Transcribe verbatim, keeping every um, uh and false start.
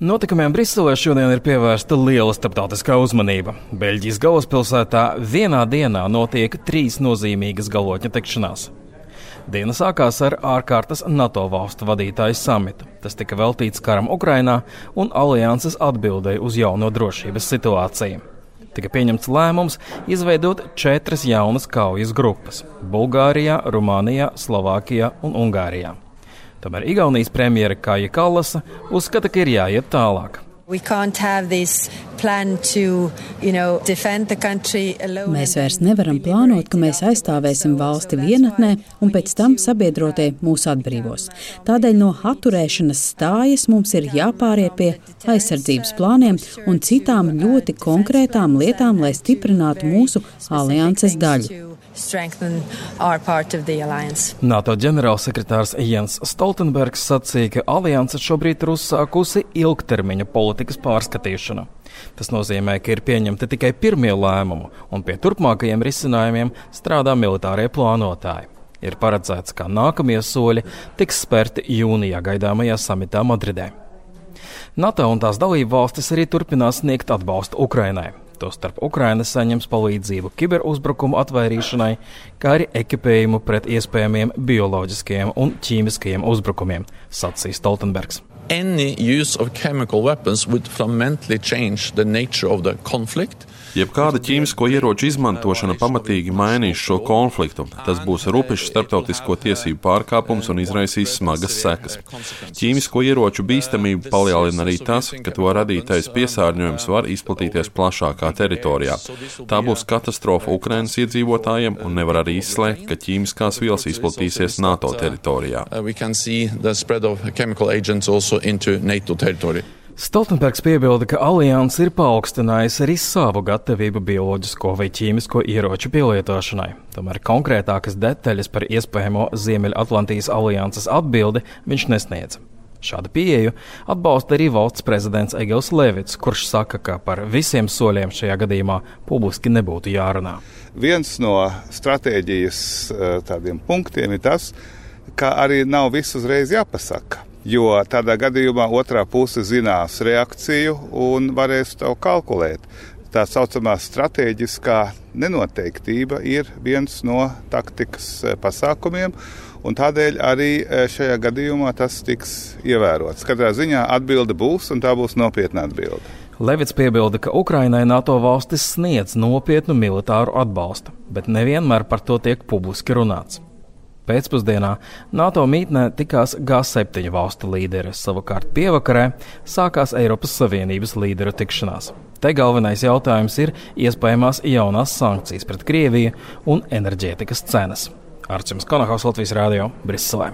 Notikumiem Briselē šodien ir pievērsta liela starptautiskā uzmanība. Beļģijas galvaspilsētā vienā dienā notiek trīs nozīmīgas galotņu tikšanās. Diena sākās ar ārkārtas NATO valstu vadītāju samitu. Tas tika veltīts karam Ukrainā un alianses atbildēja uz jauno drošības situāciju. Tika pieņemts lēmums izveidot četras jaunas kaujas grupas – Bulgārijā, Rumānijā, Slovākijā un Ungārijā. Tomēr Igaunijas premjere Kaja Kallasa uzskata, ka ir jāiet tālāk. To, you know, mēs vairs nevaram plānot, ka mēs aizstāvēsim valsti vienatnē un pēc tam sabiedrotie mūs atbrīvos. Tādēļ no atturēšanas stājas mums ir jāpāriet pie aizsardzības plāniem un citām ļoti konkrētām lietām, lai stiprinātu mūsu alianses daļu. NATO ģenerālsekretārs Jens Stoltenbergs sacīja, ka alianse šobrīd ir uzsākusi ilgtermiņa politikas pārskatīšanu. Tas nozīmē, ka ir pieņemti tikai pirmie lēmumi, un pie turpmākajiem risinājumiem strādā militārie plānotāji. Ir paredzēts, ka nākamie soļi tiks spērti jūnijā gaidāmajā samitā Madridē. NATO un tās dalību valstis arī turpinās sniegt atbalstu Ukrainai. Tostarp Ukraina saņems palīdzību kiberuzbrukumu atvairīšanai, kā arī ekipējumu pret iespējamiem bioloģiskajiem un ķīmiskajiem uzbrukumiem, sacīja Stoltenbergs. Any use of chemical weapons would fundamentally change the nature of the conflict. Jebkāda ķīmisko ieroču izmantošana pamatīgi mainīs šo konfliktu. Tas būs rupjš starptautisko tiesību pārkāpums un izraisīs smagas sekas. Ķīmisko ieroču bīstamību palielina arī tas, ka to radītais piesārņojums var izplatīties plašākā teritorijā. Tā būs katastrofa Ukrainas iedzīvotājiem un nevar arī izslēgt, ka ķīmiskās vielas izplatīsies NATO teritorijā. Stoltenbergs piebilda, ka alianse ir paaugstinājusi arī savu gatavību bioloģisko vai ķīmisko ieroču pielietošanai. Tomēr konkrētākas detaļas par iespējamo Ziemeļatlantijas alianses atbildi viņš nesniedz. Šādu pieeju atbalsta arī valsts prezidents Egils Levits, kurš saka, ka par visiem soļiem šajā gadījumā publiski nebūtu jārunā. Viens no stratēģijas tādiem punktiem ir tas, ka arī nav viss uzreiz jāpasaka. Jo tādā gadījumā otrā puse zinās reakciju un varēs to kalkulēt. Tā saucamā stratēģiskā nenoteiktība ir viens no taktikas pasākumiem, un tādēļ arī šajā gadījumā tas tiks ievērots. Katrā ziņā atbilde būs, un tā būs nopietna atbilde. Levits piebilda, ka Ukrainai NATO valstis sniedz nopietnu militāru atbalstu, bet nevienmēr par to tiek publiski runāts. Pēcpusdienā NATO mītnē tikās G septiņu valstu līderi, savukārt pievakarē sākās Eiropas Savienības līderu tikšanās. Te galvenais jautājums ir iespējamās jaunās sankcijas pret Krieviju un enerģētikas cenas. Arčuns Konahaus, Latvijas radio, Briselē.